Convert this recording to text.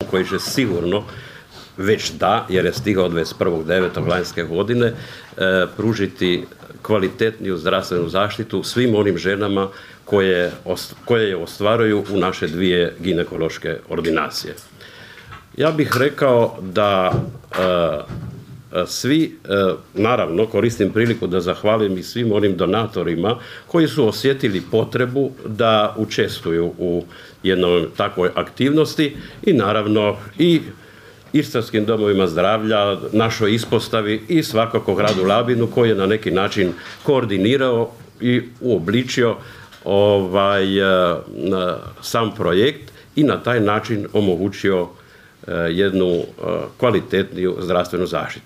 koji će sigurno već jer je stigao 21.9. lanjske godine, pružiti kvalitetniju zdravstvenu zaštitu svim onim ženama koje je ostvaruju u naše 2 ginekološke ordinacije. Ja bih rekao da svi, naravno koristim priliku da zahvalim i svim onim donatorima koji su osjetili potrebu da učestvuju u jednoj takvoj aktivnosti i naravno i Istarskim domovima zdravlja, našoj ispostavi i svakako gradu Labinu koji je na neki način koordinirao i uobličio sam projekt i na taj način omogućio jednu kvalitetniju zdravstvenu zaštitu.